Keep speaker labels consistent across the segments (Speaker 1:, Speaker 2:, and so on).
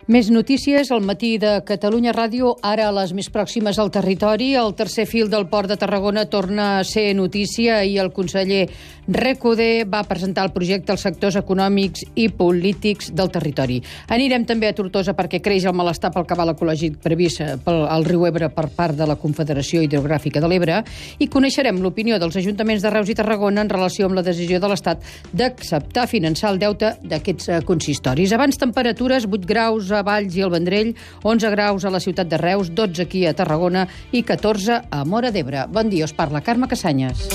Speaker 1: Més notícies al matí de Catalunya Ràdio, ara a les més pròximes al territori. El tercer fil del Port de Tarragona torna a ser notícia i el conseller Recoder va presentar el projecte als sectors econòmics i polítics del territori. Anirem també a Tortosa perquè creix el malestar pel cabal ecològic previst al riu Ebre per part de la Confederació Hidrogràfica de l'Ebre i coneixerem l'opinió dels ajuntaments de Reus i Tarragona en relació amb la decisió de l'Estat d'acceptar finançar el deute d'aquests consistoris. Abans temperatures, 8 graus a Valls i al Vendrell, 11 graus a la ciutat de Reus, 12 aquí a Tarragona i 14 a Móra d'Ebre. Bon dia, us parla Carme Cassanyes.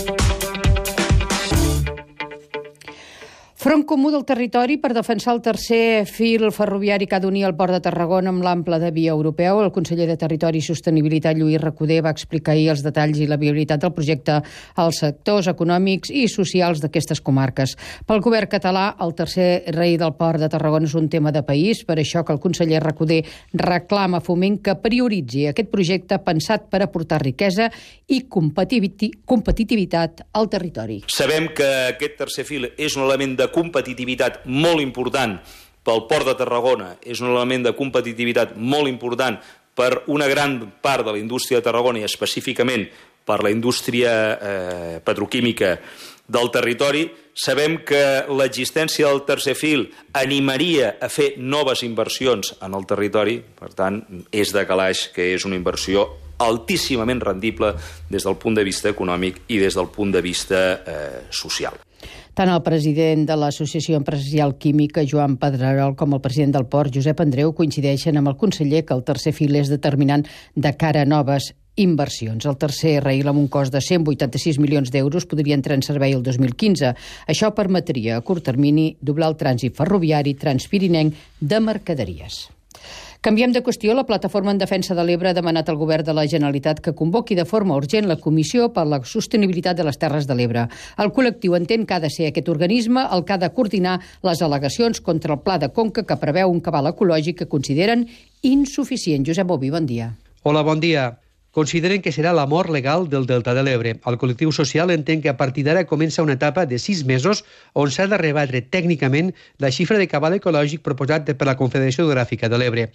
Speaker 1: Front comú del territori per defensar el tercer fil ferroviari que ha d'unir el Port de Tarragona amb l'ample de via europeu. El conseller de Territori i Sostenibilitat, Lluís Recoder, va explicar ahir els detalls i la viabilitat del projecte als sectors econòmics i socials d'aquestes comarques. Pel govern català, el tercer rei del Port de Tarragona és un tema de país, per això que el conseller Recoder reclama a Foment que prioritzi aquest projecte pensat per aportar riquesa i competitivitat al territori.
Speaker 2: Sabem que aquest tercer fil és un element de competitivitat molt important pel Port de Tarragona, és un element de competitivitat molt important per una gran part de la indústria de Tarragona i específicament per la indústria petroquímica del territori. Sabem que l'existència del tercer fil animaria a fer noves inversions en el territori, per tant, és de calaix que és una inversió altíssimament rendible des del punt de vista econòmic i des del punt de vista social.
Speaker 1: Tant el president de l'Associació Empresarial Química, Joan Pedrerol, com el president del Port, Josep Andreu, coincideixen amb el conseller que el tercer fil és determinant de cara a noves inversions. El tercer rail amb un cost de 186 milions d'euros podria entrar en servei el 2015. Això permetria a curt termini doblar el trànsit ferroviari transpirinenc de mercaderies. Canviem de qüestió. La Plataforma en Defensa de l'Ebre ha demanat al Govern de la Generalitat que convoqui de forma urgent la Comissió per la Sostenibilitat de les Terres de l'Ebre. El col·lectiu entén que ha de ser aquest organisme el que ha de coordinar les al·legacions contra el Pla de Conca que preveu un cabal ecològic que consideren insuficient. Josep Boví, bon dia.
Speaker 3: Hola, bon dia. Consideren que serà la mort legal del Delta de l'Ebre. El col·lectiu social entén que a partir d'ara comença una etapa de 6 mesos on s'ha de rebatre tècnicament la xifra de cabal ecològic proposat per la Confederació Hidrogràfica de l'Ebre.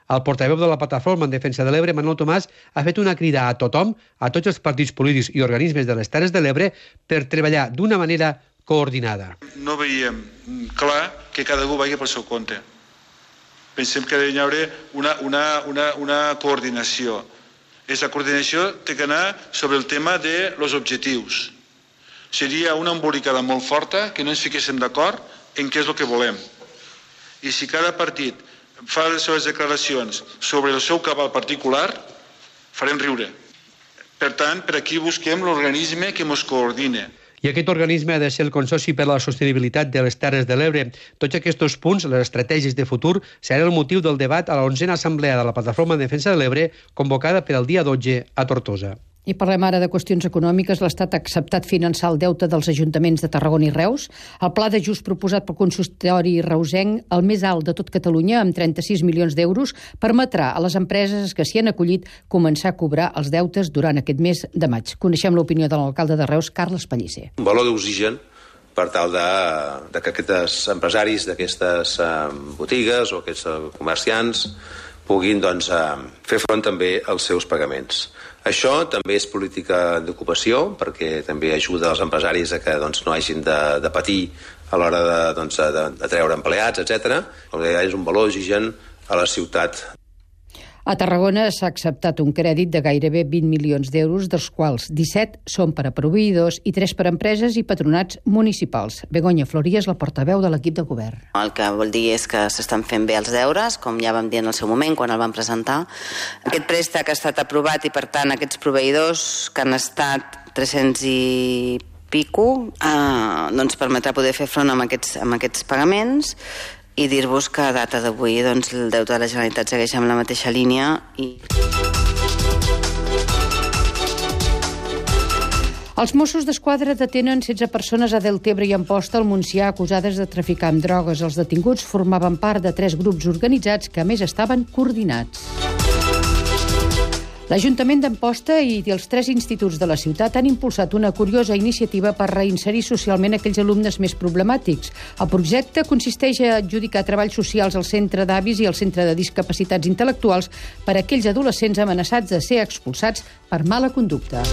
Speaker 3: El portaveu de la Plataforma en Defensa de l'Ebre, Manuel Tomàs, ha fet una crida a tothom, a tots els partits polítics i organismes de les Terres de l'Ebre, per treballar d'una manera coordinada.
Speaker 4: No veiem clar que cada un vagi pel seu compte. Pensem que hi haurà una coordinació. Aquesta coordinació té que anar sobre el tema dels objectius. Seria una embolicada molt forta que no ens fiquéssim d'acord en què és el que volem. I si cada partit fa les seves declaracions sobre el seu cabal particular, farem riure. Per tant, per aquí busquem l'organisme que ens coordina.
Speaker 3: I aquest organisme ha de ser el Consorci per a la Sostenibilitat de les Terres de l'Ebre. Tots aquests punts, les estratègies de futur, seran el motiu del debat a la 11a Assemblea de la Plataforma en Defensa de l'Ebre, convocada per al dia 12 a Tortosa.
Speaker 1: I parlem ara de qüestions econòmiques. L'Estat ha acceptat finançar el deute dels ajuntaments de Tarragona i Reus. El pla d'ajust proposat pel consistori reusenc, el més alt de tot Catalunya, amb 36 milions d'euros, permetrà a les empreses que s'hi han acollit començar a cobrar els deutes durant aquest mes de maig. Coneixem l'opinió de l'alcalde de Reus, Carles Pellicer.
Speaker 5: Un valor d'oxigen per tal de que aquests empresaris d'aquestes botigues o aquests comerciants puguin fer front també als seus pagaments. Això també és política d'ocupació, perquè també ajuda els empresaris a que no hagin de patir a l'hora de treure empleats, etc. És un valor d'oxigen a la ciutat.
Speaker 1: A Tarragona s'ha acceptat un crèdit de gairebé 20 milions d'euros, dels quals 17 són per a proveïdors i 3 per a empreses i patronats municipals. Begoña Floria és la portaveu de l'equip de govern.
Speaker 6: El que vol dir és que s'estan fent bé els deures, com ja vam dir en el seu moment, quan el vam presentar. Aquest préstec ha estat aprovat i, per tant, aquests proveïdors, que han estat 300 i pico, permetrà poder fer front amb aquests pagaments. I dir-vos que a data d'avui el deute de la Generalitat segueix amb la mateixa línia.
Speaker 1: Els Mossos d'Esquadra detenen 16 persones a Deltebre i Amposta, al Montsià, acusades de traficar amb drogues. Els detinguts formaven part de 3 grups organitzats que, a més, estaven coordinats. L'Ajuntament d'Amposta i els 3 instituts de la ciutat han impulsat una curiosa iniciativa per reinserir socialment aquells alumnes més problemàtics. El projecte consisteix a adjudicar treballs socials al Centre d'Avis i al Centre de Discapacitats Intel·lectuals per a aquells adolescents amenaçats de ser expulsats per mala conducta.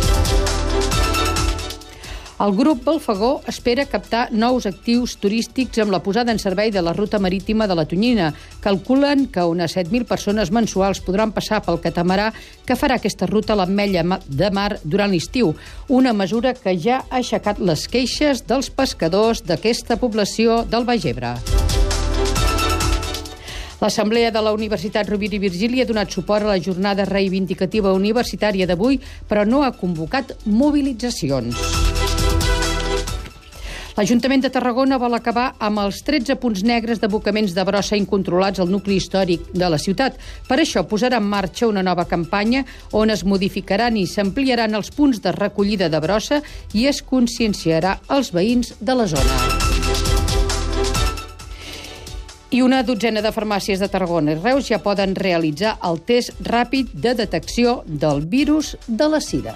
Speaker 1: El grup Balfagó espera captar nous actius turístics amb la posada en servei de la ruta marítima de la Tonyina. Calculen que unes 7.000 persones mensuals podran passar pel catamarà que farà aquesta ruta a l'Ametlla de Mar durant l'estiu, una mesura que ja ha aixecat les queixes dels pescadors d'aquesta població del Baix Ebre. L'Assemblea de la Universitat Rovira i Virgili ha donat suport a la jornada reivindicativa universitària d'avui, però no ha convocat mobilitzacions. L'Ajuntament de Tarragona vol acabar amb els 13 punts negres d'abocaments de brossa incontrolats al nucli històric de la ciutat. Per això posarà en marxa una nova campanya on es modificaran i s'ampliaran els punts de recollida de brossa i es conscienciarà els veïns de la zona. I una dotzena de farmàcies de Tarragona i Reus ja poden realitzar el test ràpid de detecció del virus de la sida.